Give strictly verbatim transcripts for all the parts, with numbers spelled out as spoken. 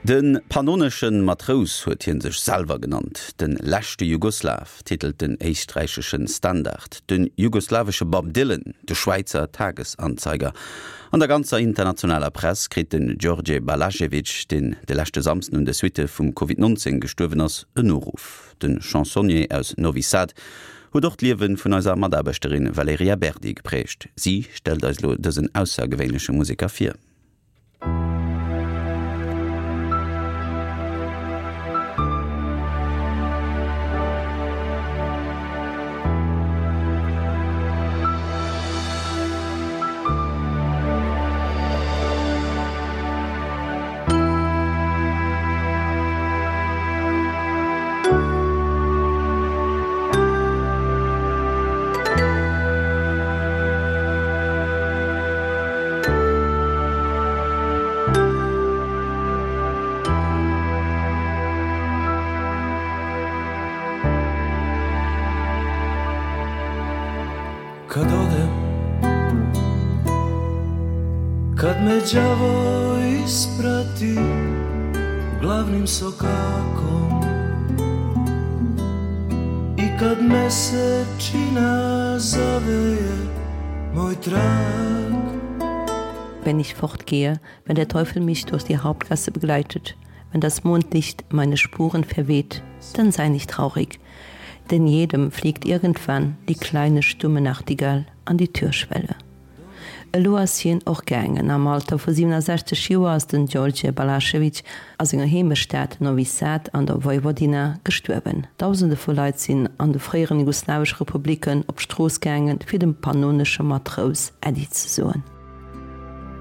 De pannonesche Matrous huet hie sech selwer genannt. De leschte Jugoslaw titelt den éisträichesche Standard, den jugoslawesche Bob Dylan de Schwäizer Tagesanzeiger. An der ganzer internationaler Press kritt den Đorđe Balašević, deen de leschte Samsden un de Suitte vum Covid nonzéng gestuerwen ass, en Noruff. De Chansonnier aus Novi Sad huet och d'Liewe vun eiser Mataarbechterin Valerija Berdi geprägt. Si stellt eis elo dësen aussergewéinleche Museker vir. Kad odem Kad me đavo isprati Glavnim sokakom I kad mesečina zaveje Moj trag Wenn ich fortgehe, wenn der Teufel mich durch die Hauptgasse begleitet, wenn das Mondlicht meine Spuren verweht, dann sei nicht traurig, denn jedem fliegt irgendwann die kleine stumme Nachtigall an die Türschwelle. Elo ass hien och gaangen. Am Alter vu siwenundsechzeg Joer ass den Đorđe Balašević a senger Heemechtsstad Novi Sad an der Vojvodina gestuerwen. Dausende vu Leit sinn an de fréieren jugoslawesche Republiken op d'Strooss gaangen, fir dem pannonesche Matrous Äddi ze soen.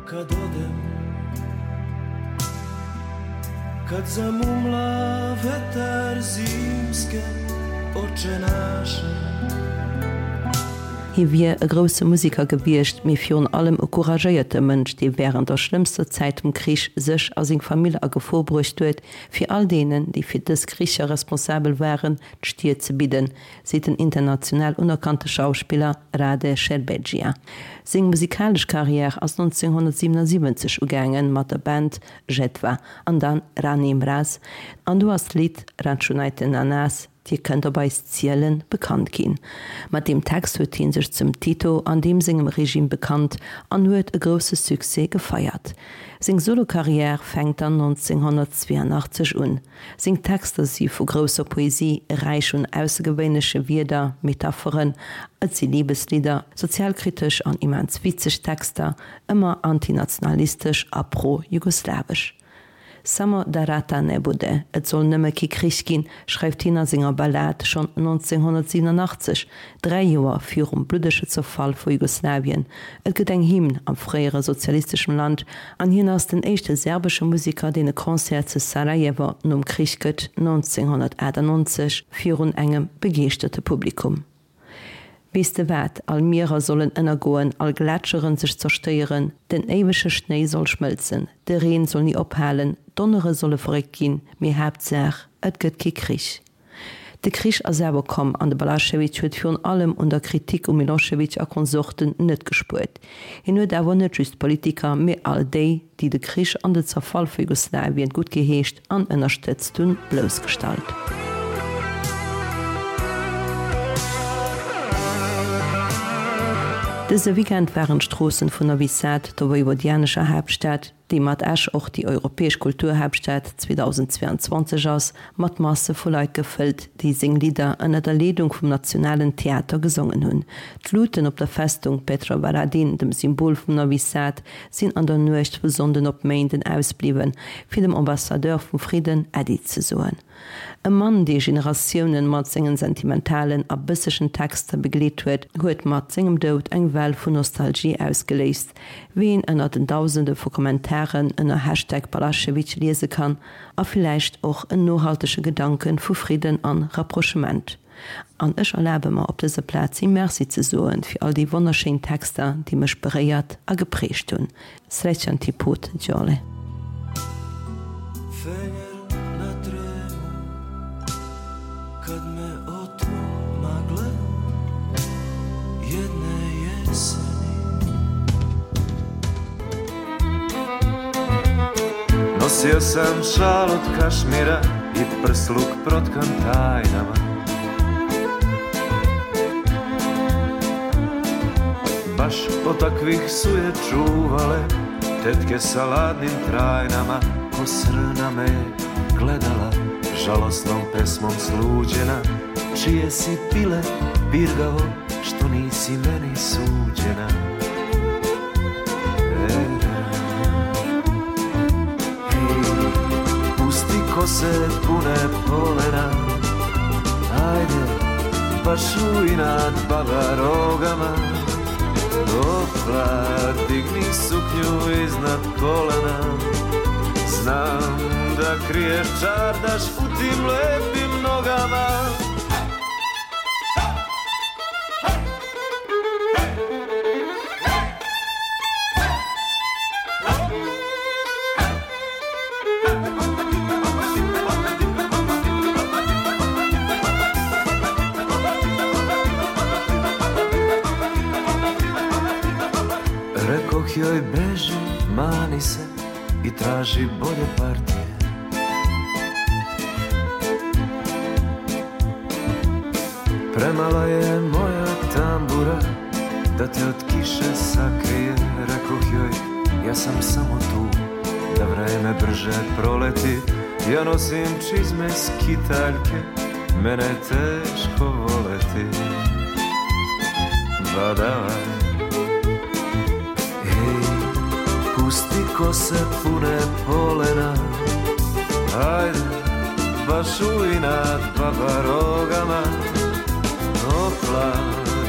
Kad odem Kad zamumla vetar zimske oče naše Hie wier e grousse Museker gewiescht, mee virun allem e couragéierte Mënsch, dee wärend der schlëmmster Zäit vum Krich sech a seng Famill a Gefor bruecht huet, fir all deenen, déi fir dës Kricher responsabel waren, d'Stier ze bidden, seet den international unerkannte Schauspiller Rade Šerbedžija. Seng musikalesch Karriär ass nonzénghonnertsiwenundsiwwenzeg ugaangen mat der Band Žetva an dann Rani Mraz an do ass d'Lidd Računajte na nas, Dir kënnt op eis zielen, bekannt ginn. Mat deem Text huet hie sech zum Tito an deem sengem Regime bekannt an huet e grousse Succès gefeiert. Seng Solo-Karriär fänkt dann nonzénghonnertzweeanachtzeg un. Seng Texter si vu grousser Poesie, räich un aussergewéinleche Wierder, Metapheren, et si Libeslidder, sozialkritesch an immens witzeg Texter, ëmmer antinationalistesch a pro-jugoslawesch. Samo da rata ne bude, et soll nëmme kee Krich ginn, schreift hien a senger Ballad schonn nonzénghonnertsiwenunachtzeg, dräi Joer virum bluddege Zerfall vu Jugoslawien. Et gëtt eng Hymn am fréiere sozialisteschem Land an hien ass den éischte serbesche Museker, deen e Concert zu Sarajevo nom Krich gëtt, nonzénghonnertachtannonzeg, virun engem begeeschterte Publikum. Weess de wat, all Mierer sollen ënnergoen, all Gletscheren sech zerstéieren, den éiwege Schnéi soll schmëlzen, de Reen soll ni ophalen, d'Donnere solle verréckt ginn, mee Haaptsaach, et gëtt kee Krich. De Krich ass awer komm an de Balašević huet virun allem un der Kritik u Milošević a Konsorten net gespuert. Hien huet awer net just Politiker, mee all déi, déi de Krich an de Zerfall vu Jugoslawien guttgeheescht an ënnerstëtzt hunn, bloussgestallt. Dëse Weekend waren d'Stroossen vun Novi Sad, der vojvodianescher Haaptstad, déi mat Esch och déi europäesch Kulturhaaptstad zweedausendzweeanzwanzeg ass, mat Masse vu Leit gefëllt, déi seng Lidder ënner der Leedung vum Nationalen Theater gesongen hunn. D'Luten op der Festung Petrovaradin, dem Symbol vum Novi Sad, sinn an der Nuecht vu Sonnden op Méinden ausbliwwen, fir dem Ambassadeur vum Fridden Äddi ze soen. E Mann, dee Generatiounen mat sengen sentimentalen a bëssegen Texter begleet huet, huet mat sengem Doud eng Well vun Nostalgie ausgeléist, wéi een ënner den Dausende vu Kommentaren ënner Hashtag Balaschewitsch liese kann, a villäicht och en nohaltege Gedanke vu Fridden an Rapprochement. An ech erlabe mer op dëser Plaz him Merci ze soen fir all déi wonnerschéin Texter, déi mech beréiert a geprägt hunn. Srećan ti put, Gjole. Fener na tremu Kad me otmu magle Jedne jeseni Nosio sam šal od kašmira I prsluk protkan tajnama Baš od takvih su je čuvale Tetke sa ladnim trajnama Ko srna me gledala Žalosnom pesmom sluđena Čije si pile pirgavo Što nisi meni suđena Hej, pusti kose pune polena Ajde, baš u inat baba rogama Opla, digni suknju iznad kolena Znam da kriješ čardaš u tim lepim nogama Rekoh joj beži, mani se i traži bolje partije Premala je moja tambura da te od kiše sakrije Rekoh joj, ja sam samo tu da vreme brže proleti Ja nosim čizme skitaljke, mene je teško voleti Badavaj Hej, pusti kose pune polena Ajde, baš u inat baba rogama Opla,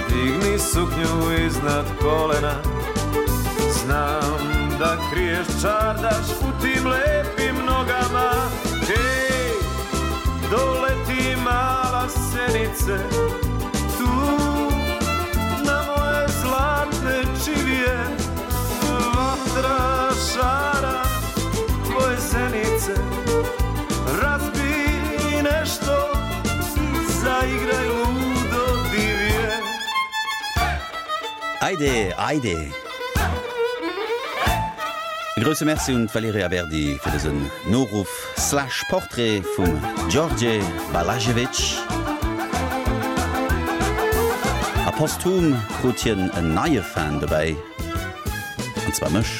digni suknju iznad kolena Znam da kriješ čardaš u tim lepim nogama Hej, doleti mala senice Tu na moje zlatne čivije Vatra šara tvoje zenice Razbij nešto i zaigraj ludo divje Ajde, ajde! E grousse Merci un d'Valerija Berdi fir dësen Noruff slash Portrait vum Djordje Balašević. A posthum krut hien en neie Fan dobäi, an zwar mech.